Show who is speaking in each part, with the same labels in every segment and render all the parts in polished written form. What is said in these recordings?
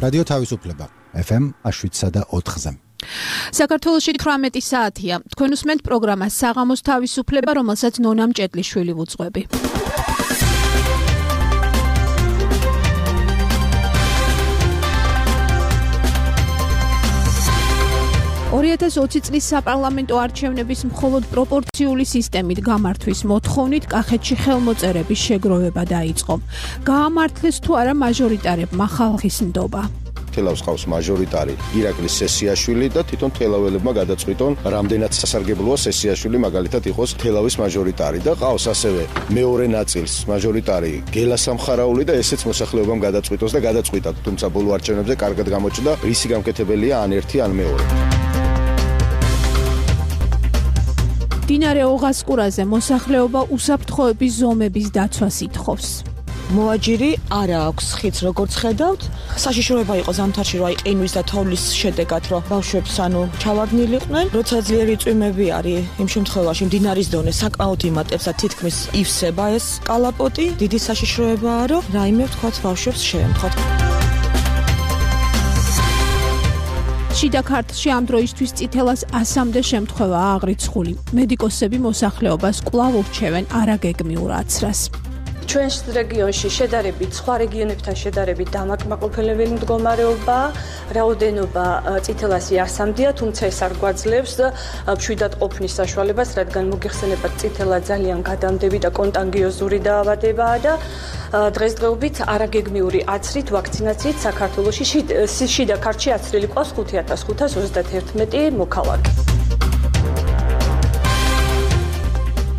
Speaker 1: რადიო თავისუფლება FM 107.4-ზე.
Speaker 2: საქართველოში 18 საათია. თქვენ უსმენთ პროგრამას საღამოს თავისუფლება, რომელსაც ნონა მჭედლიშვილი ვუძღვები. 2020 წლის საპარლამენტო არჩევნების მხოლოდ პროპორციული სისტემით გამართვის მოთხოვნით კახეთში ხელმოწერების შეგროვება დაიწყო. გაამართლეს თუ არა მაჟორიტარებმა ხალხის ნდობა.
Speaker 3: თელავს ყავს მაჟორიტარი ირაკლის სესიაშვილი და თვითონ თელაველებმა გადაწყვიტონ რამდენად სასარგებლოა სესიაშვილი მაგალითად იყოს თელავის მაჟორიტარი და ყავს ასევე მეორე ნაწილს მაჟორიტარი გელა სამხარაული და ესეც მოსახლეობამ გადაწყვიტოს და გადაწყვიტა, თუმცა ბოლო არჩევნებზე კარგად გამოჩნდა რისი გამკეთებელია ან ერთი ან მეორე.
Speaker 2: მდინარე ოღასკურაზე მოსახლეობა უსაფრთხოების ზომების დაცვას ითხოვს.
Speaker 4: მოაჯირი არა აქვს ხიდს, როგორც ხედავთ. საშიშროება იყო ზამთარში, რომ ყინვის და თოვლის შედეგად, რომ ბავშვებს ჩავარდნილიყვნენ. როცა ძლიერი წვიმები არის, იმ შემთხვევაში მდინარის დონე საკმაოდ იმატებს და თითქმის ივსება ეს კალაპოტი. დიდი საშიშროებაა, რომ რაიმე ვთქვათ ბავშვებს შეემთხოთ.
Speaker 2: შიდა ქართლში ამ დროისთვის წითელას 100-მდე შემთხვევაა აღრიცხული. მედიკოსები მოსახლეობას კვლავ ურჩევენ არაგეგმიურ აცრას.
Speaker 5: ჩვენს რეგიონში შედარებით სხვა რეგიონებთან შედარებით დამაკმაყოფილებელი მდგომარეობაა, რაოდენობა წითელასი 100-მდეა, თუმცა ეს არ გვაძლევს მშვიდად ყოფნის საშუალებას, რადგან მოგეხსენებათ წითელა ძალიან გადამდები და კონტანგიოზური დაავადებაა და დღესდღეობით არაგეგმიური აცრით, ვაქცინაციით საქართველოში შიდა ქართლში აცრილი ყავს 5531 მოქალაქე.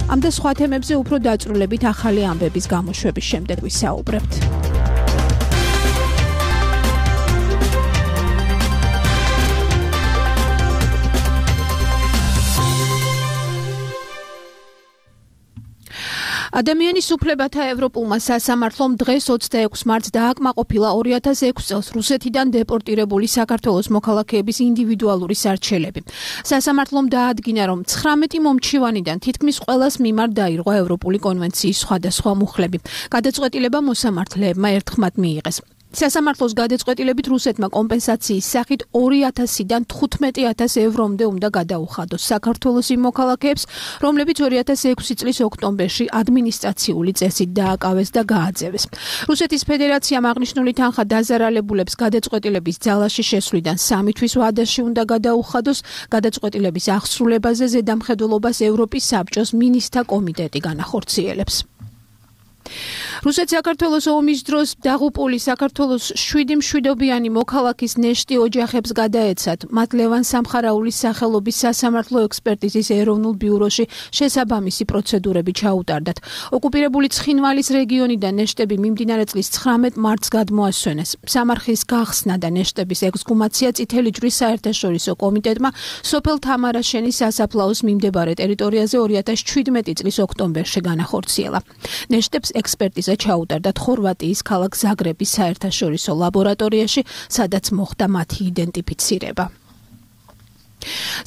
Speaker 2: ამ და სხვა თემებზე უფრო დაწვრილებით ახალი ამბების გამოშვების შემდეგ ვისაუბრებთ. ადამიანის უფლებათა ევროპულმა სასამართლომ დღეს 26 მარტს დააკმაყოფილა 2006 წელს რუსეთიდან დეპორტირებული საქართველოს მოქალაქეების ინდივიდუალური სარჩელები. სასამართლომ დაადგინა, რომ 19 მომჩივანიდან თითქმის ყველას მიმართ დაირღვა ევროპული კონვენციის სხვადასხვა მუხლები. გადაწყვეტილება მოსამართლეებმა ერთხმად მიიღეს. სასამართლოს გადაწყვეტილებით რუსეთმა კომპენსაციის სახით 2000-დან 15000 ევრომდე უნდა გადაუხადოს საქართველოს იმ მოქალაქეებს, რომლებიც 2006 წლის ოქტომბერში ადმინისტრაციული წესით დააკავეს და გააძევეს. რუსეთის ფედერაციამ აღნიშნული თანხა დაზარალებულებს გადაწყვეტილების ძალაში შესვლიდან 3 თვის ვადაში უნდა გადაუხადოს. გადაწყვეტილების აღსრულებაზე ზედამხედველობას ევროპის საბჭოს მინისტრთა კომიტეტი განახორციელებს. რუსეთ-საქართველოს ომის დროს დაღუპული საქართველოს 7 მშვიდობიანი მოქალაქის ნეშტი ოჯახებს გადაეცათ. მათ ლევან სამხარაულის სახელობის სასამართლო ექსპერტიზის ეროვნულ ბიუროში შესაბამისი პროცედურები ჩაუტარდათ. ოკუპირებული ცხინვალის რეგიონიდან ნეშტები მიმდინარე წლის 19 მარტს გადმოასვენეს. სამარხის გახსნა და ნეშტების ექსგუმაცია წითელი ჯვრის საერთაშორისო კომიტეტმა სოფელ თამარაშენის სასაფლაოს მიმდებარე ტერიტორიაზე 2017 წლის ოქტომბერში განახორციელა. ნეშტებს ექსპერტიზა ჩაუტარდათ ხორვატიის ქალაქ ზაგრების საერთაშორისო ლაბორატორიაში, სადაც მოხდა მათი იდენტიფიცირება.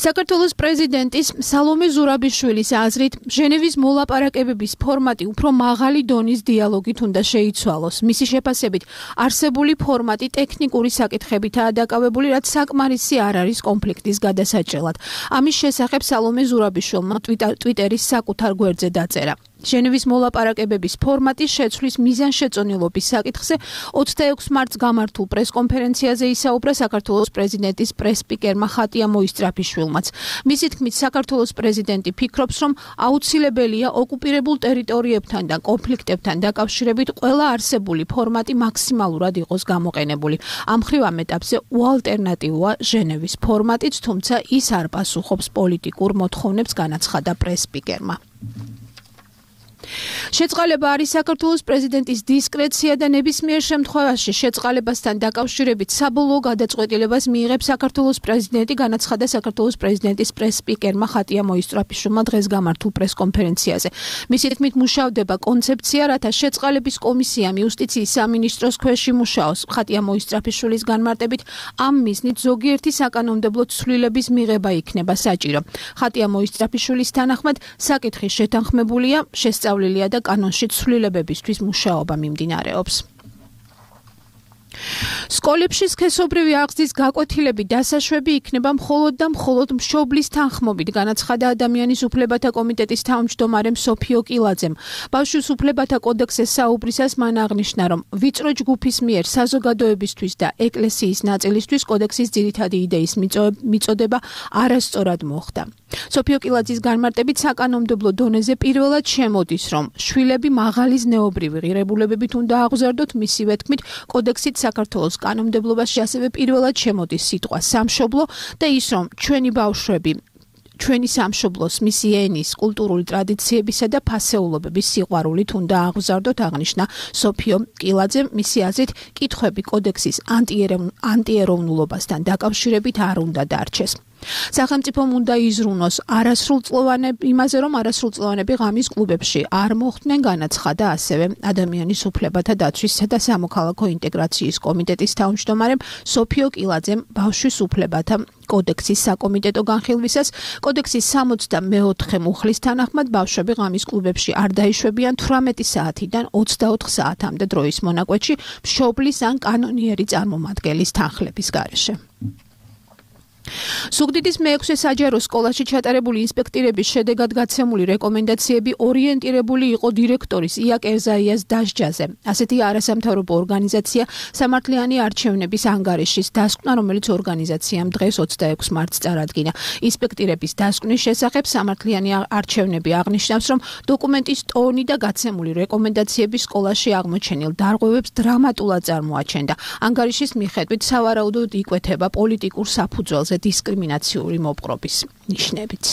Speaker 2: საქართველოს პრეზიდენტის სალომე ზურაბიშვილის აზრით, ჟენევის მოლაპარაკებების ფორმატი უფრო მაღალი დონის დიალოგით უნდა შეიცვალოს. მისი შეფასებით, არსებული ფორმატი ტექნიკური საკითხებითაა დაკავებული, რაც საკმარისი არ არის კონფლიქტის გადასაჭრელად. ამის შესახებ სალომე ზურაბიშვილმა ტვიტერის საკუთარ გვერდზე დაწერა. ჟენევის მოლაპარაკებების ფორმატის შეცვლის მიზანშეწონილობის საკითხზე 26 მარტს გამართულ პრესკონფერენციაზე ისაუბრა საქართველოს პრეზიდენტის პრესსპიკერმა ხატია მოისწრაფიშვილმაც. მისი თქმით, საქართველოს პრეზიდენტი ფიქრობს, რომ აუცილებელია ოკუპირებულ ტერიტორიებთან და კონფლიქტებთან დაკავშირებით ყველა არსებული ფორმატი მაქსიმალურად იყოს გამოყენებული. ამ მხრივ ამ ეტაპზე უალტერნატივოა ჟენევის ფორმატიც, თუმცა ის არ პასუხობს პოლიტიკურ მოთხოვნებს, განაცხადა პრესსპიკერმა. შეწყალება არის საქართველოს პრეზიდენტის დისკრეცია და ნებისმიერ შემთხვევაში შეწყალებასთან დაკავშირებით საბოლოო გადაწყვეტილებას მიიღებს საქართველოს პრეზიდენტი, განაცხადა საქართველოს პრეზიდენტის პრესსპიკერმა ხატია მოისწრაფიშვილმა დღეს გამართულ პრესკონფერენციაზე. მისი თქმით, მუშავდება კონცეფცია, რათა შეწყალების კომისიამ იუსტიციის სამინისტროს ქვეშ იმუშაოს. ხატია მოისწრაფიშვილის განმარტებით, ამ მიზნით ზოგიერთი საკანონმდებლო ცვლილების მიღება იქნება საჭირო. ხატია მოისწრაფიშვილის თანახმად, საკითხი შეთანხმებულია, შესწავლილია და კანონში ცვლილებებისთვის მუშაობა მიმდინარეობს. სკოლებში სქესობრივი აღზრდის გაკვეთილები დასაშვები იქნება მხოლოდ და მხოლოდ მშობლის თანხმობით, განაცხადა ადამიანის უფლებათა კომიტეტის თავმჯდომარემ სოფიო კილაძემ. ბავშვის უფლებათა კოდექსზე საუბრისას მან აღნიშნა, რომ ვიწრო ჯგუფის მიერ საზოგადოებისთვის და ეკლესიის ნაწილისთვის კოდექსის ძირითადი იდეის მიწოდება არასწორად მოხდა. სოფიო კილაძის განმარტებით საკანონმდებლო დონეზე პირველად შემოდის, რომ შვილები მაღალი ზნეობრივი ღირებულებებით უნდა აღზარდოთ, მისივე თქმით, კოდექსით საქართველოს კანონმდებლობაში ასევე პირველად შემოდის სიტყვა სამშობლო და ის, რომ ჩვენი ბავშვები ჩვენი სამშობლოს მისი ენის, კულტურული ტრადიციებისა და ფასეულობების სიყვარულით უნდა აღზარდოთ, აღნიშნა სოფიო კილაძემ. მისი აზრით, კითხვები კოდექსის ანტიეროვნულობასთან დაკავშირებით არ უნდა დარჩეს. სახელმწიფომ უნდა იზრუნოს იმაზე, რომ არასრულწლოვანები ღამის კლუბებში არ მოხვდნენ, განაცხადა ასევე ადამიანის უფლებათა დაცვისა და სამოქალაქო ინტეგრაციის კომიტეტის თავმჯდომარემ სოფიო კილაძემ ბავშვის უფლებათა კოდექსის საკომიტეტო განხილვისას. კოდექსის 64 მუხლის თანახმად ბავშვები ღამის კლუბებში არ დაიშვებიან 18 საათიდან 24 საათამდე დროის მონაკვეთში მშობლის ან კანონიერი წარმომადგენლის თანხლების გარეშე. სუგდიდის მე-6 საჯარო სკოლაში ჩატარებული ინსპექტირების შედეგად გაცემული რეკომენდაციები ორიენტირებული იყო დირექტორის ია კერზაიას დასჯაზე. ასეთი არასამთავრობო ორგანიზაცია სამართლიანი არჩევნების ანგარიშის დასკვნა, რომელიც ორგანიზაციამ დღეს 26 მარტს წარადგინა. ინსპექტირების დასკვნის შესახებ სამართლიანი არჩევნები აღნიშნავს, რომ დოკუმენტის ტონი და გაცემული რეკომენდაციები სკოლაში აღმოჩენილ დარღვევებს დრამატულად წარმოაჩენდა. ანგარიშის მიხედვით სავარაუდოდ იკვეთება პოლიტიკურ საფუძველზე დისკრიმინაციული მოპყრობის ნიშნებიც.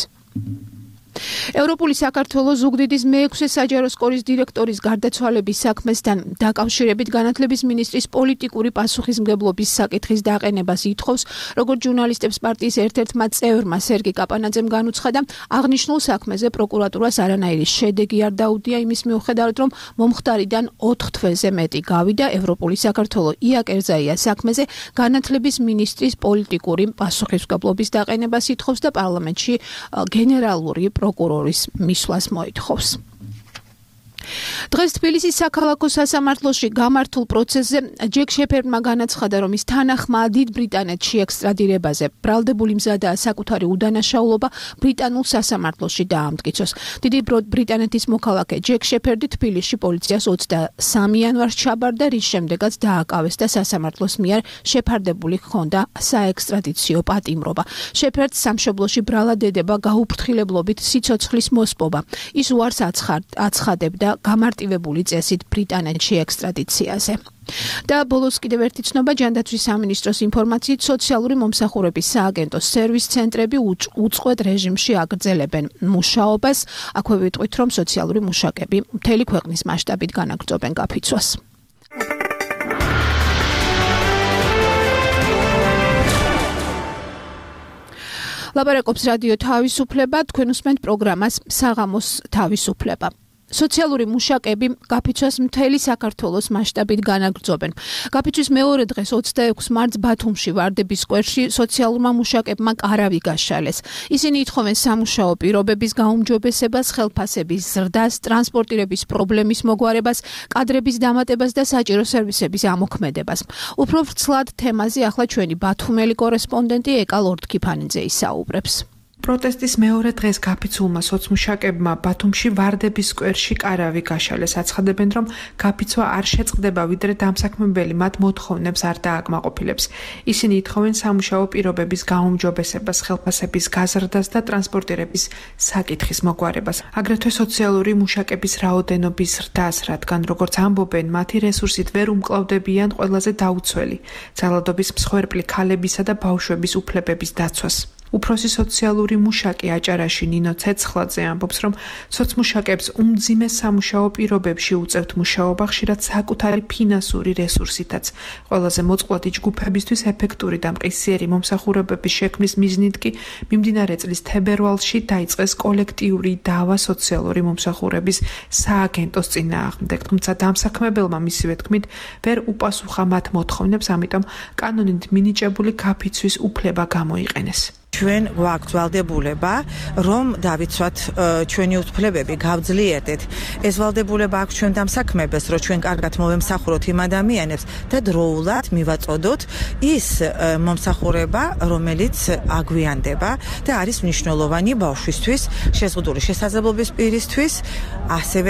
Speaker 2: ევროპული საქართველოს ზუგდიდის მე-6 საჯარო სკოლის დირექტორის გარდაცვალების საქმესთან დაკავშირებით განათლების მინისტრის პოლიტიკური პასუხისმგებლობის საკითხის დაყენებას ითხოვს, როგორც ჟურნალისტებს პარტიის ერთ-ერთმა წევრმა სერგი კაპანაძემ განუცხადა, აღნიშნულ საქმეზე პროკურატურას არანაირი შედეგი არ დაუდია იმის მიუხედავად, რომ მომხდარიდან 4 თვეზე მეტი გავიდა. ევროპული საქართველო ია კერზაიას საქმეზე განათლების მინისტრის პოლიტიკური პასუხისმგებლობის დაყენებას ითხოვს და პარლამენტში გენერალური პროკურორის მისვლას მოითხოვს. დღეს თბილისის საქალაქო სასამართლოში გამართულ პროცესზე ჯეკ შეფერდმა განაცხადა, რომ ის თანახმა დიდ ბრიტანეთში ექსტრადირებაზე ბრალდებული მზადაა საკუთარი უდანაშაულობა ბრიტანულ სასამართლოში დაამტკიცოს. დიდი ბრიტანეთის მოქალაქე ჯეკ შეფერდი თბილისში პოლიციას 23 იანვარს ჩაბარდა, რის შემდეგაც დააკავეს და სასამართლოს მიერ შეფარდებული ჰქონდა საექსტრადიციო პატიმრობა. შეფერდს სამშობლოში ბრალად ედება გაუფრთხილებლობით სიცოცხლის მოსპობა. ის უარს აცხადებდა გამარტივებული წესით ბრიტანეთში ექსტრადიციაზე. და ბოლოს კიდევ ერთი ცნობა, ჯანდაცვის სამინისტროს ინფორმაციით, სოციალური მომსახურების სააგენტოს სერვის ცენტრები უწყვეტ რეჟიმში აგრძელებენ მუშაობას. აქვე ვიტყვით, რომ სოციალური მუშაკები მთელი ქვეყნის მასშტაბით განაგრძობენ გაფიცვას. ლაპარაკობს რადიო თავისუფლება, თქვენ უსმენთ პროგრამას საღამოს თავისუფლება. სოციალური მუშაკები გაფიცვას მთელი საქართველოს მასშტაბით განაგრძობენ. გაფიცვის მეორე დღეს 26 მარტს ბათუმში ვარდების სკვერში სოციალურმა მუშაკებმა კარავი გაშალეს. ისინი ითხოვენ სამუშაო პირობების გაუმჯობესებას, ხელფასების ზრდას, ტრანსპორტირების პრობლემის მოგვარებას, კადრების დამატებას და საჭირო სერვისების ამოქმედებას. უფრო ვრცლად თემაზე ახლა ჩვენი ბათუმელი კორესპონდენტი ეკა ლორდქიფანიძე ისაუბრებს.
Speaker 6: პროტესტის მეორე დღეს გაფიცულმა სოცმუშაკებმა ბათუმში ვარდების სკვერში კარავი გაშალეს. აცხადებენ, რომ გაფიცვა არ შეწყდება, ვიდრე დამსაქმებელი მათ მოთხოვნებს არ დააკმაყოფილებს. ისინი ითხოვენ სამუშაო პირობების გაუმჯობესებას, ხელფასების გაზრდას და ტრანსპორტირების საკითხის მოგვარებას. აგრეთვე სოციალური მუშაკების რაოდენობის ზრდას, რადგან როგორც ამბობენ, მათი რესურსით ვერ უმკლავდებიან ყველაზე დაუცველი ძალადობის მსხვერპლი ქალებისა და ბავშვების უფლებების დაცვას. უფროსი სოციალური მუშაკი აჭარაში ნინო ცეცხლაძე ამბობს, რომ სოცმუშაკებს უმძიმე სამუშაო პირობებში უწევთ მუშაობა, ხშირად საკუთარი ფინანსური რესურსითაც. ყველაზე მოწყვლადი ჯგუფებისთვის ეფექტური და მყისიერი მომსახურებების შექმნის მიზნით კი მიმდინარე წლის თებერვალში დაიწყეს კოლექტიური დავა სოციალური მომსახურების სააგენტოს წინააღმდეგ. თუმცა დამსაქმებელმა მისივე თქმით ვერ უპასუხა მათ მოთხოვნებს, ამიტომ კანონით მინიჭებული გაფიცვის უფლება გამოიყენეს.
Speaker 7: ჩვენ გვაქვს ვალდებულება, რომ დავიცვათ ჩვენი უფლებები, გავძლიერდეთ. ეს ვალდებულება აქვს ჩვენ დამსაქმებელს, რომ ჩვენ კარგად მოვემსახუროთ იმ ადამიანებს და დროულად მივაწოდოთ ის მომსახურება, რომელიც აგვიანდება და არის მნიშვნელოვანი ბავშვისთვის, შეზღუდული შესაძლებლობის პირისთვის,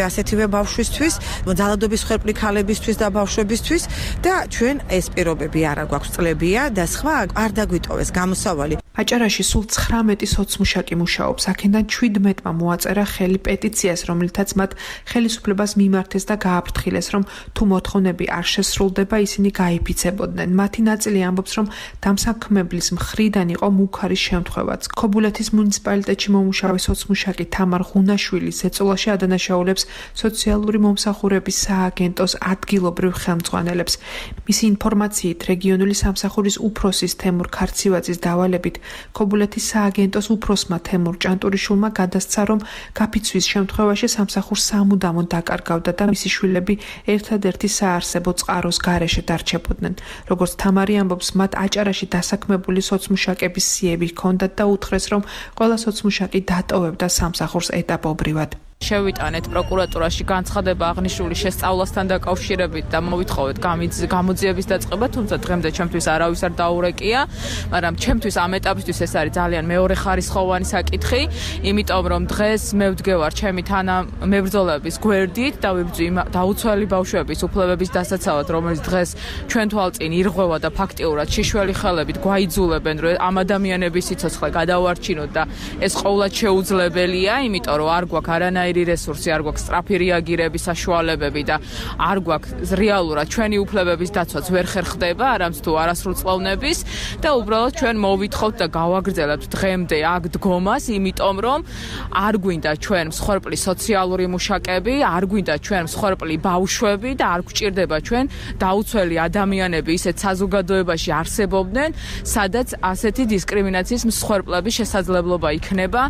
Speaker 7: ასეთივე ბავშვისთვის, ძალადობის მსხვერპლი ქალებისთვის და ბავშვებისთვის და ჩვენ ეს პირობები არა გვაქვს წლებია და სხვა არ დაგვიტოვეს გამოსავალი.
Speaker 6: აჭარაში სულ 19 სოცმუშაკი მუშაობს. აქედან 17-მა მოაწერა ხელი პეტიციას, რომლითაც მათ ხელისუფლებას მიმართეს და გააფრთხილეს, რომ თუ მოთხოვნები არ შესრულდება, ისინი გაიფიცებოდნენ. მათი ნაწილი ამბობს, რომ დამსაქმებლის მხრიდან იყო მუქარი შემთხვევაც. ქობულეთის მუნიციპალიტეტში მომუშავე სოცმუშაკი თამარ ღუნაშვილის ეწოლაში ადანაშაულებს სოციალური მომსახურების სააგენტოს ადგილობრივ ხელმძღვანელებს. მისი ინფორმაციით, რეგიონული სამსახურის უფროსის თემურ ქარცივაძის დავალებით ქობულეთის სააგენტოს უფროსმა თემურ ჭანტურიშვილმა გადასცა, რომ გაფიცვის შემთხვევაში სამსახურს სამუდამოდ დაკარგავდა და მისი შვილები ერთადერთი საარსებო წყაროს გარეშე დარჩებოდნენ. როგორც თამარი ამბობს, მათ აჭარაში დასაქმებული სოცმუშაკების სიები ჰქონდათ და უთხრეს, რომ ყველა სოცმუშაკი დატოვებდა სამსახურს ეტაპობრივად.
Speaker 8: შევიტანეთ პროკურატურაში განცხადება აღნიშნული შესწავლასთან დაკავშირებით და მოვითხოვეთ გამოძიების დაწყება, თუმცა დღემდე ჩემთვის არავის არ დაურეკია, მაგრამ ჩემთვის ამ ეტაპისთვის ეს არის ძალიან მეორეხარისხოვანი საკითხი, იმიტომ რომ დღეს მე ვდგევარ ჩემი თანამებრძოლების გვერდით და ვიბრძვი დაუცველი ბავშვების უფლებების დასაცავად, რომელიც დღეს ჩვენ თვალწინ ირღვევა და ფაქტიურად შიშველი ხელებით გვაიძულებენ, რომ ამ ადამიანების სიცოცხლე გადავარჩინოთ და ეს ყოვლად შეუძლებელია, იმიტომ რომ არ გვაქვს არანაირი რესურსი, არ გვაქვს სწრაფი რეაგირების საშუალებები და არ გვაქვს რეალურად ჩვენი უფლებების დაცვაც ვერ ხერხდება, არამც თუ არასრულწლოვნების და უბრალოდ ჩვენ მოვითხოვთ და გავაგრძელებთ დღემდე აქ დგომას, იმიტომ რომ არ გვინდა ჩვენ მსხვერპლი სოციალური მუშაკები, არ გვინდა ჩვენ მსხვერპლი ბავშვები და არ გვჭირდება ჩვენ დაუცველი ადამიანები ისეთ საზოგადოებაში არსებობდნენ, სადაც ასეთი დისკრიმინაციის მსხვერპლების შესაძლებლობა იქნება.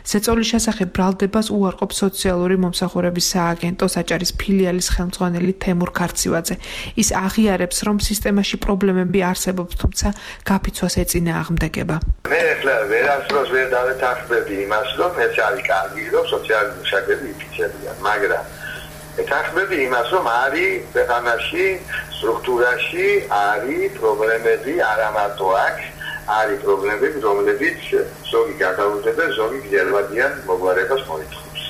Speaker 6: ზეწოლის შესახებ ბრალდებას უარყოფს სოციალური მომსახურების სააგენტოს აჭარის ფილიალის ხელმძღვანელი თემურ ქარცივაძე. ის აღიარებს, რომ სისტემაში პრობლემები არსებობს, თუმცა გაფიცვას ეწინააღმდეგება.
Speaker 9: მე ახლა ვერასდროს ვერ დავეთანხმები იმას, რომ ეს არის კარგი, რომ სოციალური მუშაკები იფიცებიან, მაგრამ ეთანხმები იმას, რომ არის ქვეყანაში, სტრუქტურაში არის პრობლემები არა მარტო აქ, არის პრობლემები, რომლებიც ზოგი გადაუდება, ზოგი გრძელვადიან მოგვარებას მოითხოვს.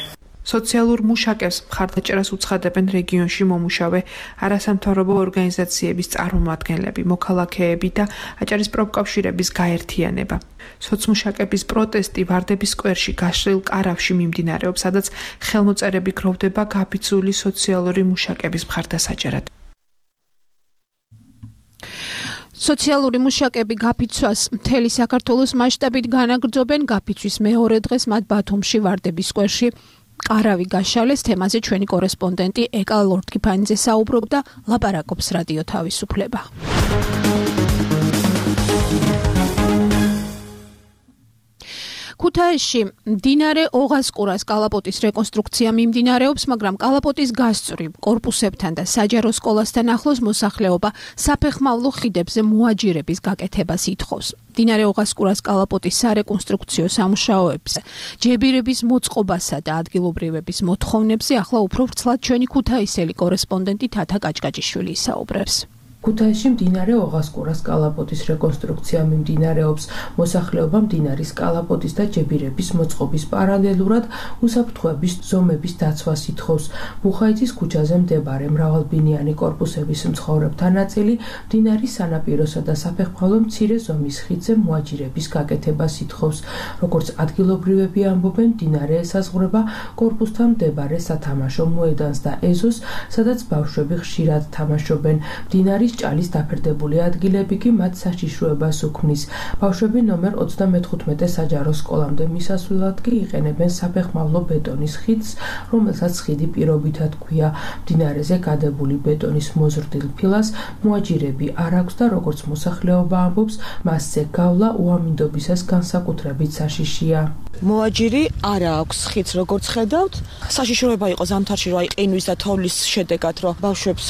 Speaker 6: სოციალურ მუშაკებს მხარდაჭერას უცხადებენ რეგიონში მომუშავე არასამთავრობო ორგანიზაციების წარმომადგენლები, მოქალაქეები და აჭარის პროფკავშირების გაერთიანება. სოცმუშაკების პროტესტი ვარდების სკვერში გაშლილ კარავში მიმდინარეობს, სადაც ხელმოწერები გროვდება გაფიცვული სოციალური მუშაკების მხარდასაჭერად.
Speaker 2: სოციალური მუშაკები გაფიცვას მთელი საქართველოს მასშტაბით განაგრძობენ. გაფიცვის მეორე დღეს მათ ბათუმში ვარდების სკვერში ყარავი გაშალეს. თემაზე ჩვენი კორესპონდენტი ეკა ლორდკიფანიძე საუბრობდა, ლაპარაკობს რადიო თავისუფლება. ქუთაისში მდინარე ოღასკურას კალაპოტის რეკონსტრუქცია მიმდინარეობს, მაგრამ კალაპოტის გასწვრივ კორპუსებთან და საჯარო სკოლასთან ახლოს მოსახლეობა საფეხმავლო ხიდებზე მოაჯირების გაკეთებას ითხოვს. მდინარე ოღასკურას კალაპოტის სარეკონსტრუქციო სამუშაოებზე ჯებირების მოწყობასა და ადგილობრივების მოთხოვნებზე ახლა უფრო ვრცლად ჩვენი ქუთაისელი კორესპონდენტი თათა კაჭკაჭიშვილი ისაუბრებს.
Speaker 10: ქუთაისში მდინარე ოღასკურას კალაპოტის რეკონსტრუქცია მიმდინარეობს. მოსახლეობა მდინარის კალაპოტის და ჯებირების მოწყობის პარალელურად უსაფრთხოების ზომების დაცვას ითხოვს. ბუხაიძის ქუჩაზე მდებარე მრავალბინიანი კორპუსების მცხოვრებთა ნაწილი მდინარის სანაპიროსა და საფეხმავლო მცირე ზომის ხიდზე მოაჯირების გაკეთებას ითხოვს. როგორც ადგილობრივები ამბობენ, მდინარე ესაზღვრება კორპუსთან მდებარე სათამაშო მოედანს და ეზოს, სადაც ბავშვები ხშირად თამაშობენ. მდინარის ჭალის დაფერდებული ადგილები კი მათ საშიშროებას უქმნის. ბავშვები ნომერ 35 საჯარო სკოლამდე მისასვლელად კი იყენებენ საფეხმავლო ბეტონის ხიდს, რომელსაც ხიდი პირობითად ჰქვია. მდინარეზე გადებული ბეტონის მოზრდილ ფილას მოაჯირები არ აქვს და როგორც მოსახლეობა ამბობს, მასზე გავლა უამინდობისას განსაკუთრებით საშიშია.
Speaker 4: მოაჯირი არა აქვს ხიც როგორც ხედავთ. საშიშროება იყო ზამთარში რომ ყინვის და თოვლის შედეგად რომ ბავშვებს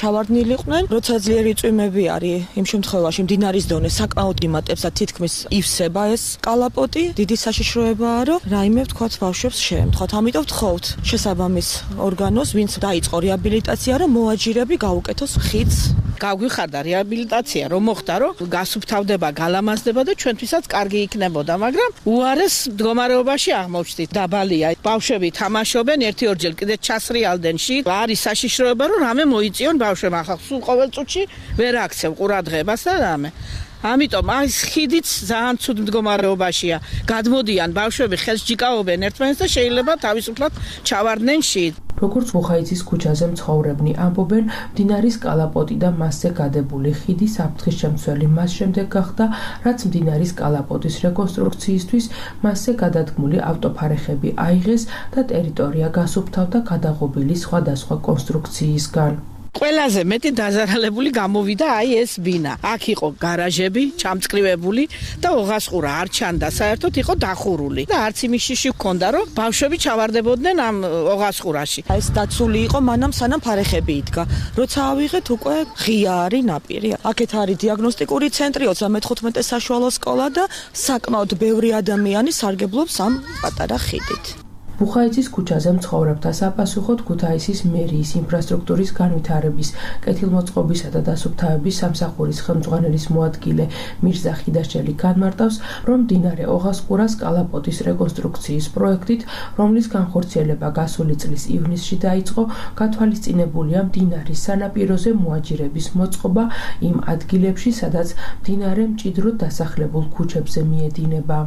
Speaker 4: ჩავარდნილიყვნენ. როცა ძლიერი წვიმები არის, იმ შემთხვევაში მდინარის დონე საკმაოდ იმატებს და თითქმის ივსება ეს კალაპოტი. დიდი საშიშროებაა რომ რაიმე ვთქვათ ბავშვებს შეემთხვათ. ამიტომ ვთხოვთ შესაბამის ორგანოს, ვინც დაიწყო რეაბილიტაცია, რომ მოაჯირები გაუკეთოს ხიც.
Speaker 11: გაგვიხარდა რეაბილიტაცია, რომ მოხდა, რომ გასუფთავდება, გალამაზდება და ჩვენთვისაც კარგი იქნებოდა, მაგრამ უარეს მდგომარეობაში აღმოჩნდით. დაბალია. ბავშვები თამაშობენ, ერთი-ორჯერ კიდე ჩასრიალდნენ შიგ. არის საშიშროება, რომ რამე მოიწიონ ბავშვებმა. ახლა სულ ყოველ წუთში ვერ აქცევ ყურადღებას და რამე. ამიტომ ეს ხიდიც ძალიან ცუდ მდგომარეობაშია. გადმოდიან ბავშვები, ხელს ჯიკაობენ ერთმანეთს და შეიძლება თავისუფლად ჩავარდნენ შიგ.
Speaker 10: როგორც ბუხაიცის ქუჩაზე მცხოვრებნი ამბობენ, მდინარის კალაპოტი და მასზე გადებული ხიდი საფრთხის შემცველი მას შემდეგ გახდა, რაც მდინარის კალაპოტის რეკონსტრუქციისთვის მასზე გადადგმული ავტოფარეხები აიღეს და ტერიტორია გასუფთავდა გადაღობილი სხვადასხვა კონსტრუქციისგან.
Speaker 11: ყველაზე მეტი დაზარალებული გამოვიდა აი ეს ბინა. აქ იყო გარაჟები, ჩამწკრივებული და ოღასყურა არ ჩანდა, საერთოდ იყო დახურული. და არც იმის შიში ჰქონდა, რომ ბავშვები ჩავარდებოდნენ ამ ოღასყურაში.
Speaker 4: ეს დაცული იყო მანამ სანამ ფარეხები იდგა. როცა ავიღეთ უკვე ღია არის ნაპირი. აქეთ არის დიაგნოსტიკური ცენტრი, 35 საშუალო სკოლა და საკმაოდ ბევრი ადამიანი სარგებლობს ამ პატარა ხიდით.
Speaker 10: ბუხაიცის ქუჩაზე მცხოვრებთა საფასუხოდ ქუთაისის მერიის ინფრასტრუქტურის განვითარების, კეთილმოწყობისა და დასუფთავების სამსახურის ხელმძღვანელის მოადგილე მირზა ხიდაშელი განმარტავს, რომ მდინარე ოღასყურას კალაპოტის რეკონსტრუქციის პროექტით, რომლის განხორციელება გასული წლის ივნისში დაიწყო, გათვალისწინებულია მდინარის სანაპიროზე მოაჯირების მოწყობა იმ ადგილებში, სადაც მდინარე მჭიდროდ დასახლებულ ქუჩებზე მიედინება.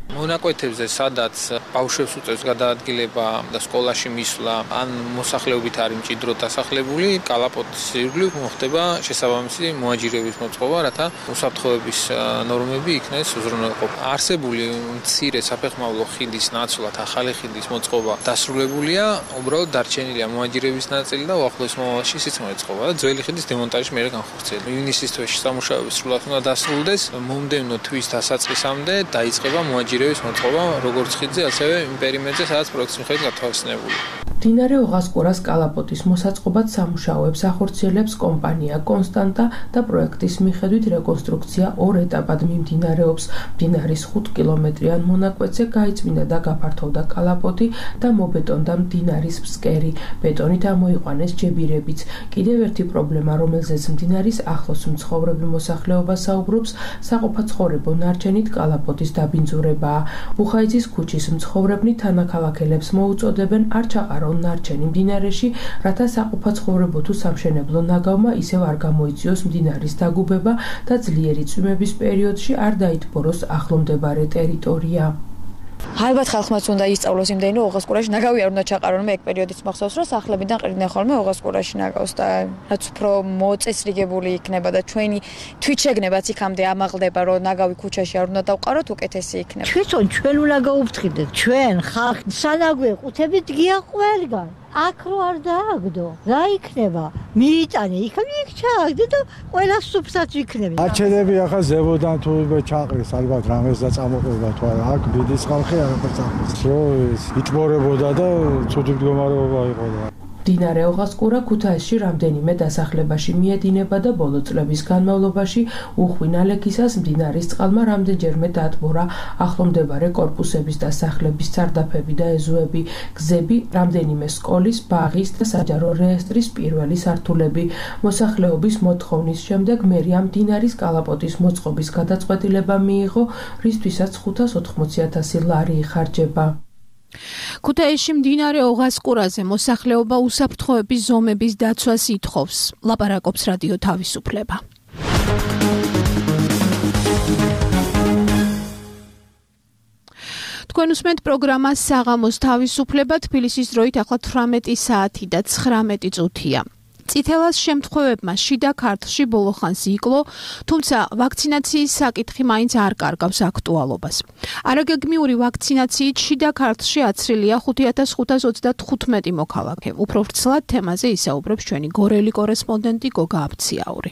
Speaker 12: მონაკვეთებზე, სადაც ბავშვებს უწევს გადაადგილება და სკოლაში მისვლა, ან მოსახლეობით არის მჭიდროდ დასახლებული, კალაპოტის ირგვლივ მოხდება შესაბამისი მოაჯირების მოწყობა, რათა უსაფრთხოების ნორმები იქნეს უზრუნველყოფა. არსებული მცირე საფეხმავლო ხიდის ნაცვლად ახალი ხიდის მოწყობა დასრულებულია, უბრალოდ დარჩენილია მოაჯირების ნაწილი და უახლოეს მომავალში ისიც მოეწყობა და ძველი ხიდის დემონტაჟი მერე განხორციელდება. ივნისის თვეში სამუშაოები სრულად უნდა დასრულდეს, მომდევნო თვის დასაწყისამდე დაიწყება მოაჯირების მოწყობა როგორც ხიდზე, ასევე იმ პერიმეტრზე, სადაც პროექტის მიხედვით გათვალისწინებულია.
Speaker 10: მდინარე ოღასყურას კალაპოტის მოსაწყობად სამუშაოებს ახორციელებს კომპანია კონსტანტა და პროექტის მიხედვით რეკონსტრუქცია ორ ეტაპად მიმდინარეობს. მდინარის 5 კილომეტრიან მონაკვეთზე გაიწმინდა და გაფართოვდა კალაპოტი და მობეტონდა მდინარის ფსკერი. ბეტონით ამოიყვანეს ჯებირებიც. კიდევ ერთი პრობლემა, რომელზეც მდინარის ახლოს მცხოვრები მოსახლეობა საუბრობს, საყოფაცხოვრებო ნარჩენით კალაპოტის დაბინძურებაა. ბუხაიცის ქუჩის მცხოვრებნი თანაქალაქელებს მოუწოდებენ არ ჩაყარონ ნარჩენი მდინარეში, რათა საყოფაცხოვრებო თუ სამშენებლო ნაგავმა ისევ არ გამოიწვიოს მდინარის დაგუბება და ძლიერი წვიმების პერიოდში არ დაითბოროს ახლომდებარე ტერიტორია.
Speaker 13: ალბათ ხალხმაც უნდა ისწავლოს იმდენი ოღასყურაში ნაგავი არ უნდა ჩაყარონ, მე ეგ პერიოდიც მახსოვს, რომ სახლებიდან ყრიდნენ ხოლმე ოღასყურაში ნაგავს და რაც უფრო მოწესრიგებული იქნება და ჩვენი თვითშეგნებაც იქამდე ამაღლდება, რომ ნაგავი ქუჩაში არ უნდა დავყაროთ, უკეთესი იქნება.
Speaker 14: ჩვენ უნდა გაუფრთხილდეთ, ჩვენ ხალხ სანაგვე ყუთებით გია ყველგან. აქ რო არ დააგდო, რა იქნება? მიიტანე, იქ ჩააგდე და ყველა სუფსაც იქნება.
Speaker 15: არჩენები ახლა ზებოდან თუ ჩაყრის, ალბათ რამეს და წამოყვება თუ არა, აქ ბიდის ხალხი არაფერს წამოყვება. რო იტბორებოდა და ცუდი მდგომარეობა იყო და
Speaker 10: მდინარე ოღასყურა ქუთაისში რამდენიმე დასახლებაში მიედინება და ბოლო წლების განმავლობაში უხვი ნალექისას მდინარის წყალმა რამდენჯერმე დაატბორა ახლომდებარე კორპუსების და სახლების სარდაფები და ეზოები, გზები, რამდენიმე სკოლის, ბაღის და საჯარო რეესტრის პირველი სართულები. მოსახლეობის მოთხოვნის შემდეგ მერია მდინარის კალაპოტის მოწყობის გადაწყვეტილება მიიღო, რისთვისაც 580,000 ლარი იხარჯება.
Speaker 2: ქუთაისში მდინარე ოღასყურაზე მოსახლეობა უსაფრთხოების ზომების დაცვას ითხოვს. ლაპარაკობს რადიო თავისუფლება. თქვენ უსმენთ პროგრამას საღამოს თავისუფლება, თბილისის დროით ახლა 18 საათი და 19 წუთია. წითელას შემთხვევებმა შიდა ქართლში ბოლოხანს იკლო, თუმცა ვაქცინაციის საკითხი მაინც არ კარგავს აქტუალობას. არაგეგმიური ვაქცინაციით შიდა ქართლში აცრილია 5525 მოქალაქე. უფრო ვრცლად თემაზე ისაუბრებს ჩვენი გორელი კორესპონდენტი გოგა აბციაური.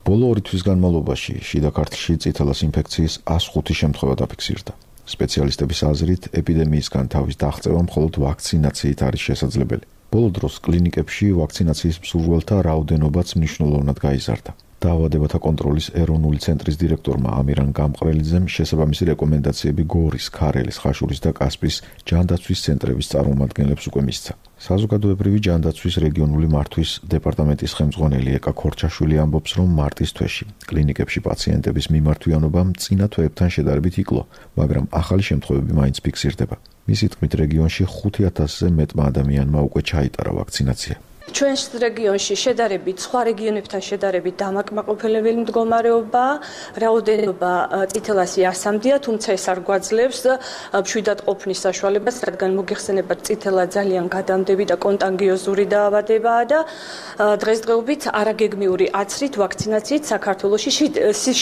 Speaker 16: ბოლო 2 თვის განმავლობაში შიდა ქართლში წითელას ინფექციის 105 შემთხვევა დაფიქსირდა. სპეციალისტების აზრით, ეპიდემიისგან თავის დაღწევა მხოლოდ ვაქცინაციით არის შესაძლებელი. ბოლო დროს კლინიკებში ვაქცინაციის მსურველთა რაოდენობაც მნიშვნელოვნად გაიზარდა. დაავადებათა კონტროლის ეროვნული ცენტრის დირექტორმა ამირან გამყრელიძემ შესაბამისი რეკომენდაციები გორის, ქარელის, ხაშურის და კასპიის ჯანდაცვის ცენტრების წარმომადგენლებს უკვე მისცა. საზოგადოებრივი ჯანდაცვის რეგიონული მართვის დეპარტამენტის ხელმძღვანელი ეკა ქორჩაშვილი ამბობს, რომ მარტის თვეში კლინიკებში პაციენტების მიმართვიანობა წინა თვეებთან შედარებით იკლო, მაგრამ ახალი შემთხვევები მაინც ფიქსირდება. მისი თქმით, რეგიონში 5000-ზე მეტმა ადამიანმა უკვე ჩაიტარა ვაქცინაცია.
Speaker 5: ჩვენს რეგიონში შედარებით სხვა რეგიონებთან შედარებით დამაკმაყოფილებელი მდგომარეობა, რაოდენობა წითელასი ასამდია, თუმცა ეს არ გვაძლევს მშვიდად ყოფნის საშუალებას, რადგან მოგეხსენებათ წითელა ძალიან გადამდები და კონტანგიოზური დაავადებაა და დღესდღეობით არაგეგმიური აცრით ვაქცინაციით საქართველოში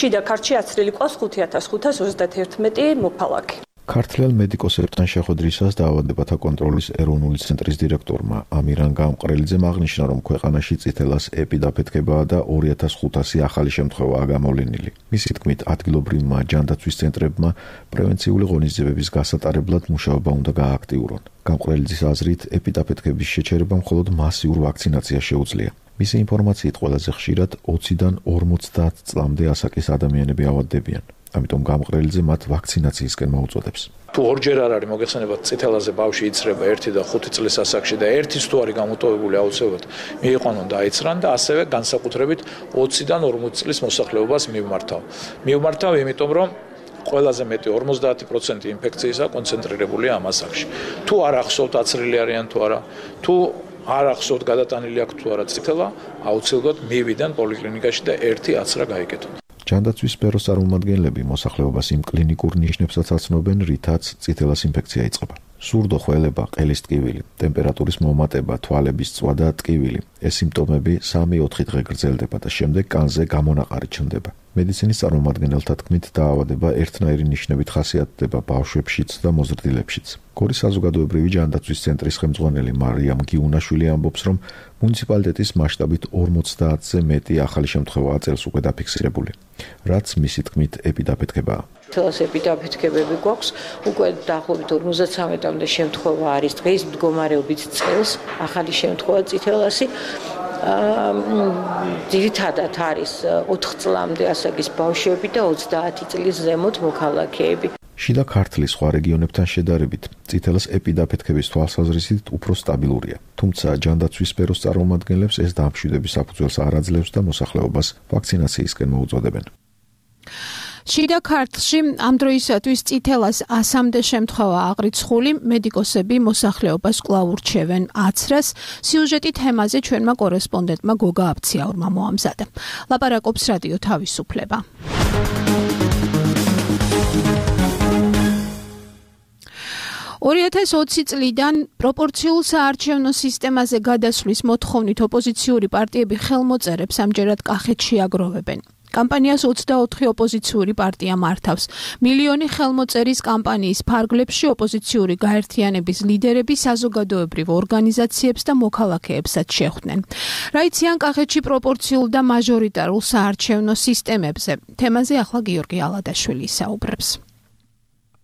Speaker 5: შიდა ქართლში აცრილი ყავს 5531 მოქალაქე.
Speaker 16: ქართლელ მედიკოსებთან შეხვედრისას დაავადებათა კონტროლის ეროვნული ცენტრის დირექტორმა ამირან გამყრელიძემ აღნიშნა, რომ ქვეყანაში წითელას ეპიდაფეთქებაა და 2500 ახალი შემთხვევაა გამოვლენილი. მისი თქმით, ადგილობრივმა ჯანდაცვის ცენტრებმა პრევენციული ღონისძიებების გასატარებლად მუშაობა უნდა გააქტიურონ. გამყრელიძის აზრით, ეპიდაფეთქების შეჩერება მხოლოდ მასიურ ვაქცინაციას შეუძლია. მისი ინფორმაციით ყველაზე ხშირად 20-დან 50 წლამდე ასაკის ადამიანები ავადდებიან. ამიტომ გამყრელიძე მათ ვაქცინაციისკენ მოუწოდებს.
Speaker 17: თუ ორჯერ არ არის მოგეხსენებათ წითელაზე ბავშვი იცრება 1 და 5 წლის ასაკში და ერთის თუ არის გამოტოვებული აუცილებლად მიიყვანონ და აიცრან და ასევე განსაკუთრებით 20-დან 40 წლის მოსახლეობას მივმართავ, იმიტომ რომ ყველაზე მეტი 50% ინფექციისა კონცენტრირებულია ამ ასაკში. თუ არ ახსოვთ აცრილი არიან თუ არა, თუ არ ახსოვთ გადატანილი აქვს თუ არა წითელა, აუცილებლად მივიდან პოლიკლინიკაში და ერთი აცრა გაიგეთონ.
Speaker 16: ჯანდაცვის სფეროს წარმომადგენლები მოსახლეობას იმ კლინიკურ ნიშნებსაც აცნობენ, რითაც წითელას ინფექცია იწყება. სურდო ხველება, ყელის ტკივილი, ტემპერატურის მომატება, თვალების წვა და ტკივილი. ეს სიმპტომები 3-4 დღე გრძელდება და შემდეგ კანზე გამონაყარი ჩნდება. მედიცინის წარმომადგენელთა თქმით, დაავადება ერთნაირი ნიშნებით ხასიათდება ბავშვებშიც და მოზრდილებშიც. გორის საზოგადოებრივი ჯანდაცვის ცენტრის ხელმძღვანელი მარიამ გიუნაშვილი ამბობს, რომ მუნიციპალიტეტის მასშტაბით 50-ზე მეტი ახალი შემთხვევაა წელს უკვე დაფიქსირებული, რაც მისი თქმით ეპიდაფეთქებაა.
Speaker 18: თელას ეპიდაფეთქებები გვაქვს, უკვე დაახლოებით 53-მდე შემთხვევა არის დღის მდგომარეობით წელს, ახალი შემთხვევა წითელასი. ძირითადად არის 4 წლამდე ასაკის ბავშვები და 30 წლის ზემოთ მოქალაქეები.
Speaker 16: შიდა ქართლის სხვა რეგიონებთან შედარებით, წითელას ეპიდაფეთქების თვალსაზრისით უფრო სტაბილურია. თუმცა ჯანდაცვის სფეროს წარმომადგენლებს ეს დამშვიდების საფუძველს არ აძლევს და მოსახლეობას ვაქცინაციისკენ მოუწოდებენ.
Speaker 2: შიდა ქართლში ამ დროისათვის წითელას 100-მდე შემთხვევა აღრიცხული, მედიკოსები მოსახლეობას კვლავ ურჩევენ აცრას. სიუჟეტი თემაზე ჩვენმა კორესპონდენტმა გოგა აბციაურმა მოამზადა. ლაპარაკობს რადიო თავისუფლება. ...2020 წლიდან პროპორციულ საარჩევნო სისტემაზე გადასვლის მოთხოვნით ოპოზიციური პარტიები ხელმოწერებს ამჯერად კახეთში აგროვებენ. კამპანიას 24 ოპოზიციური პარტია მართავს. მილიონი ხელმოწერის კამპანიის ფარგლებში ოპოზიციური გაერთიანების ლიდერები საზოგადოებრივ ორგანიზაციებს და მოქალაქეებსაც შეხვდნენ. რა იციან კახეთში პროპორციულ და მაჟორიტარულ საარჩევნო სისტემებზე? თემაზე ახლა გიორგი ალადაშვილი საუბრებს.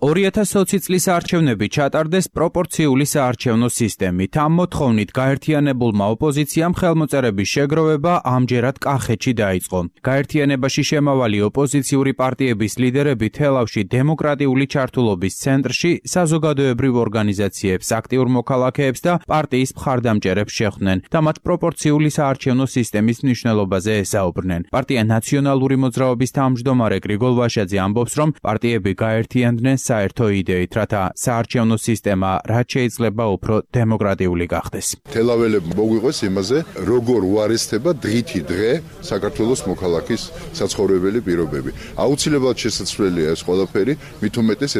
Speaker 19: 2020 წლის არჩევნები ჩატარდეს პროპორციული საარჩევნო სისტემით. ამ მოთხოვნით გაერთიანებულმა ოპოზიციამ ხელმოწერების შეგროვება ამჯერად კახეთში დაიწყო. გაერთიანებაში შემავალი ოპოზიციური პარტიების ლიდერები თელავში დემოკრატიული ჩართულობის ცენტრში საზოგადოებრივ ორგანიზაციებს, აქტიურ მოქალაქეებს და პარტიის მხარდამჭერებს შეხვდნენ და მათ პროპორციული საარჩევნო სისტემის მნიშვნელობაზე ესაუბრნენ. პარტია ნაციონალური მოძრაობის თავმჯდომარე გრიგოლ ვაშაძე ამბობს, რომ პარტიები გაერთიანდნენ საერთო იდეით, რათა საარჩევნო სისტემა რაც შეიძლება უფრო დემოკრატიული გახდეს.
Speaker 20: თელაველებმა მოგვიყვეს იმაზე, როგორ უარესდება დღითი დღე საქართველოს მოქალაქის საცხოვრებელი პირობები. აუცილებლად შესაძლებელია ეს ყველაფერი, მით უმეტეს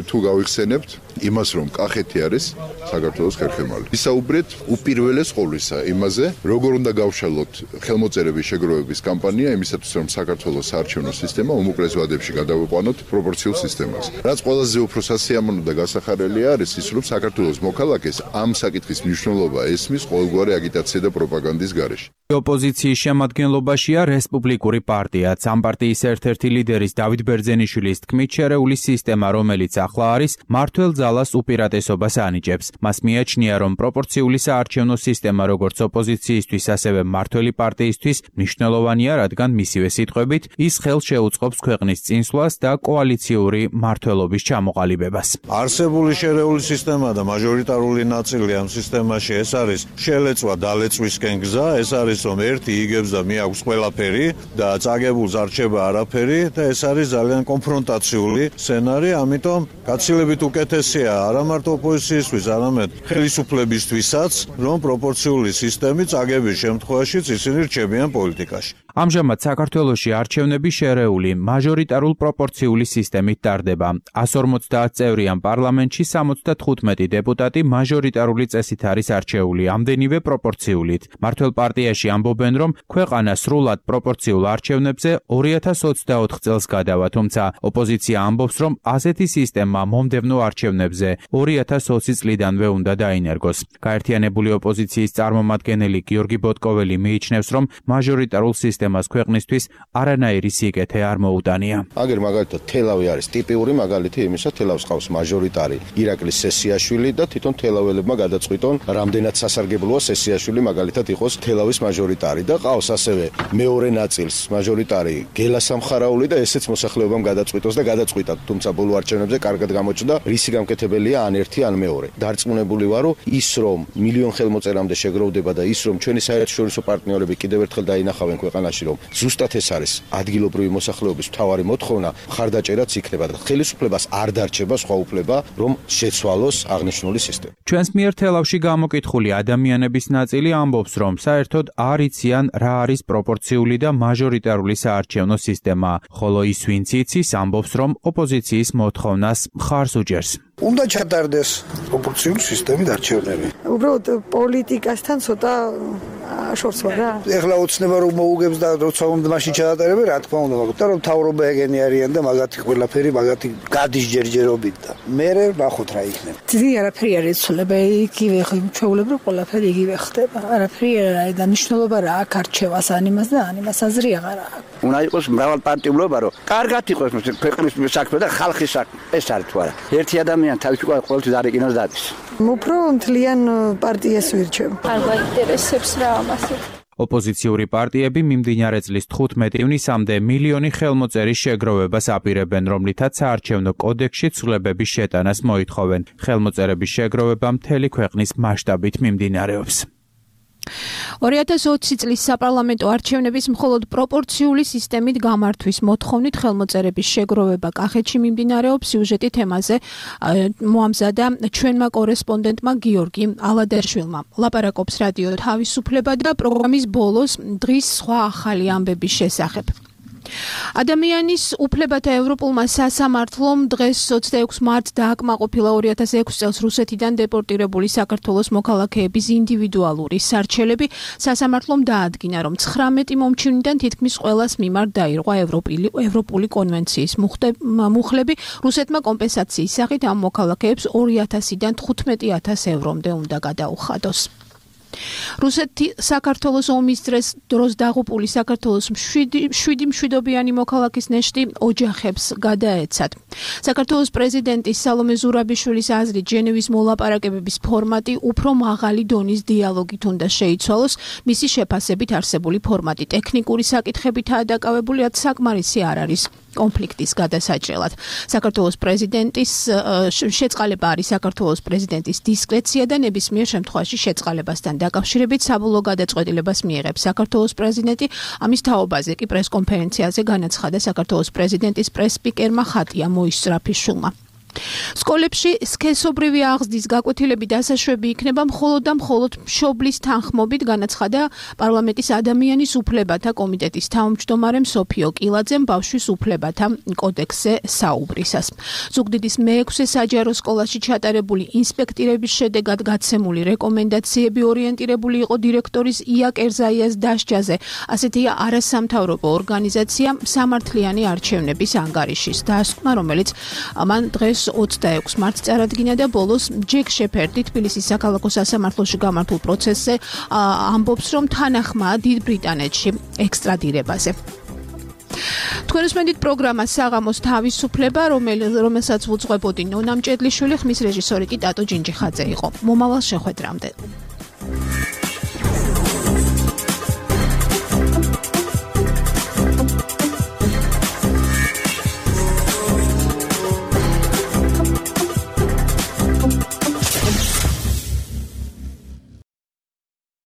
Speaker 20: თუ გავიხსენებთ იმას, რომ კახეთი არის საქართველოს ხერხემალი. ვისაუბრეთ უპირველეს ყოვლისა იმაზე, როგორ უნდა გავშალოთ ხელმოწერების შეგროვების კამპანია იმისათვის, რომ საქართველოს საარჩევნო სისტემა უმოკლეს ვადებში გადავიყვანოთ პროპორციულ სისტემას. რაც ყველაზე უფრო სასიამოვნო და გასახარელი არის ის, რომ საქართველოს მოქალაქეს ამ საკითხის მნიშვნელობა ესმის ყოველგვარი აგიტაცია და პროპაგანდის გარეშე.
Speaker 19: ოპოზიციის შემადგენლობაშია რესპუბლიკური პარტიაც. ამ პარტიის ერთ-ერთი ლიდერის დავით ბერძენიშვილის თქმით, შერეული სისტემა, რომელიც ახლა არის, მმართველ ძალას უპირატესობას ანიჭებს. მას მიაჩნია, რომ პროპორციული საარჩევნო სისტემა როგორც ოპოზიციისთვის, ასევე მმართველი პარტიისთვის მნიშვნელოვანია, რადგან მისივე სიტყვებით ის ხელს შეუწყობს ქვეყნის წინსვლას და კოალიციური მმართველობის ჩამოყალიბებას.
Speaker 21: არსებული შერეული სისტემა და მაჟორიტარული ნაწილი ამ სისტემაში ეს არის შელეწვა დალეწვისკენ გზა, ეს არის რომ ერთი იგებს და მიაქვს ყველაფერი და წაგებულს არ რჩება არაფერი და ეს არის ძალიან კონფრონტაციული სცენარი, ამიტომ გაცილებით უკეთესია არა მარტო ოპოზიციისთვის, არამედ ხელისუფლებისთვისაც, რომ პროპორციული სისტემით წაგების შემთხვევაშიც ისინი რჩებიან პოლიტიკაში.
Speaker 19: ამჟამად საქართველოში არჩევნები შერეული მაჟორიტარულ პროპორციული სისტემით ტარდება. 150 წევრიან პარლამენტში 75 დეპუტატი მაჟორიტარული წესით არის არჩეული, ამდენივე პროპორციულით. მმართველ პარტიაში ამბობენ, რომ ქვეყანა სრულად პროპორციულ არჩევნებზე 2024 წელს გადავა, თუმცა ოპოზიცია ამბობს, რომ ასეთი სისტემა მომდევნო არჩევნებზე 2020 წლიდანვე უნდა დაინერგოს. გაერთიანებული ოპოზიციის წარმომადგენელი გიორგი ბოტკოველი მიიჩნევს, რომ მაჟორიტარულ სისტემას ქვეყნისთვის არანაირი სიკეთე არ მოუტანია.
Speaker 3: აგერ მაგალითად თელავი არის ტიპიური მაგალითი იმისა, თელავს ყავს მაჟორიტარი ირაკლი სესიაშვილი და თვითონ თელაველებმა გადაწყვიტონ, რამდენად სასარგებლოა სესიაშვილი მაგალითად იყოს თელავის მაჟორიტარი და ყავს ასევე მეორე ნაწილს მაჟორიტარი გელა სამხარაული და ესეც მოსახლეობამ გადაწყვიტოს და გადაწყვიტა, თუმცა ბოლო არჩევნებზე კარგად გამოჩნდა, რისი გამკეთებელია ან ერთი ან მეორე. დარწმუნებული ვარო, ის რომ მილიონ ხელმოწერამდე შეგროვდება და ის რომ ჩვენი საერთაშორისო პარტნიორები კიდევ ერთხელ დაინახავენ ქვეყანაში, რომ ზუსტად ეს არის ადგილობრივი მოსახლეობის მთავარი მოთხოვნა, ხარდაჭერაც იქნება და ხელისუფლებას არ დარჩება სხვა უფლება, რომ შეცვალოს აღნიშნული სისტემა.
Speaker 19: ჩვენს მიერ თელავში გამოკითხული ადამიანების ნაწილი ამბობს, რომ საერთოდ არ იციან რა არის პროპორციული და მაჟორიტარული საარჩევნო სისტემა, ხოლო ის ვინც იცის ამბობს, რომ ოპოზიციის მოთხოვნას მხარს უჭერს.
Speaker 22: უნდა ჩატარდეს პროპორციული სისტემით არჩევნები.
Speaker 23: უბრალოდ პოლიტიკასთან ცოტა შორს ვარ რა.
Speaker 22: ეხლა ოცნება რომ მოუგებს და როცა უნდა მაშინ ჩაატარებენ, რა თქმა უნდა, მაგრამ რომ თავრობა ეგენი არიან და მაგათი ყველაფერი მაგათი გადის ჯერჯერობით და მე ნახოთ რა იქნება.
Speaker 23: ძი არაფერი არ იცვლება, იგივე ჩვეულებრივ ყველაფერი იგივე ხდება. არაფერი არ არის და მნიშვნელობა რა აქ არჩევას ან იმას და ან იმას აზრი აღარ აქვს.
Speaker 22: უნდა იყოს მრავალპარტიულობა, რომ კარგად იყოს ქვეყნის საქმე და ხალხის საქმე. ეს არის თუ არა. ერთი ადამიანი თავის უკვე ყოველთვის არ ეკინოს დადის.
Speaker 23: უფრო მთლიან პარტიას ვირჩევ.
Speaker 2: არ გაინტერესებს რა ამასე.
Speaker 19: ოპოზიციური პარტიები მიმდინარე წლის 15 ივნისამდე მილიონი ხელმოწერის შეგროვებას აპირებენ, რომლითაც საარჩევნო კოდექსში ცვლილებების შეტანას მოითხოვენ. ხელმოწერების შეგროვება მთელი ქვეყნის მასშტაბით მიმდინარეობს.
Speaker 2: 2020 წლის საპარლამენტო არჩევნების მხოლოდ პროპორციული სისტემით გამართვის მოთხოვნით ხელმოწერების შეგროვება კახეთში მიმდინარეობს. სიუჟეტი თემაზე მოამზადა ჩვენმა კორესპონდენტმა გიორგი ალადაშვილმა. ლაპარაკობს რადიო თავისუფლება და პროგრამის ბოლოს დღის სხვა ახალი ამბების შესახებ. ადამიანის უფლებათა ევროპულმა სასამართლომ დღეს 26 მარტს დააკმაყოფილა 2006 წელს რუსეთიდან დეპორტირებული საქართველოს მოქალაქეების ინდივიდუალური სარჩელები. სასამართლომ დაადგინა, რომ 19 მომჩივნიდან თითქმის ყველას მიმართ დაირღვა ევროპული კონვენციის მუხლები. რუსეთმა კომპენსაციის სახით ამ მოქალაქეებს 2000-დან 15,000 ევრომდე უნდა გადაუხადოს. რუსეთი საქართველოს ომის დროს დაღუპული საქართველოს 7 მშვიდობიანი მოქალაქის ნეშტი ოჯახებს გადაეცათ. საქართველოს პრეზიდენტის სალომე ზურაბიშვილის აზრით ჟენევის მოლაპარაკებების ფორმატი უფრო მაღალი დონის დიალოგით უნდა შეიცვალოს. მისი შეფასებით არსებული ფორმატი ტექნიკური საკითხებითაა დაკავებული, რაც საკმარისი არ არის კონფლიქტის გადასაჭრელად. საქართველოს პრეზიდენტის შეწყალება არის საქართველოს პრეზიდენტის დისკრეცია და ნებისმიერ შემთხვევაში შეწყალებასთან დაკავშირებით საბოლოო გადაწყვეტილებას მიიღებს საქართველოს პრეზიდენტი. ამის თაობაზე კი პრესკონფერენციაზე განაცხადა საქართველოს პრეზიდენტის პრესსპიკერმა ხატია მოისწრაფიშვილმა. სკოლებში სქესობრივი აღზრდის გაკვეთილები დასაშვები იქნება მხოლოდ და მხოლოდ მშობლის თანხმობით, განაცხადა პარლამენტის ადამიანის უფლებათა კომიტეტის თავმჯდომარემ სოფიო კილაძემ ბავშვის უფლებათა კოდექსზე საუბრისას. ზუგდიდის მე-6 საჯარო სკოლაში ჩატარებული ინსპექტირების შედეგად გაცემული რეკომენდაციები ორიენტირებული იყო დირექტორის ია კერზაიას დასჯაზე. ასეთია არასამთავრობო ორგანიზაცია სამართლიანი არჩევნების ანგარიშის დასკვნა, რომელიც მან დღეს 26 მარტს წარადგინა და ბოლოს ჯეკ შეფერდი თბილისის საქალაქო სასამართლოში გამართულ პროცესზე ამბობს, რომ თანახმაა დიდ ბრიტანეთში ექსტრადირებაზე. თქვენ უსმენთ პროგრამას საღამოს თავისუფლება, რომელსაც უძღვებოდი ნონა მჭედლიშვილი, ხმის რეჟისორი კი ტატო ჯინჯიხაძე იყო. მომავალ შეხვედრამდე.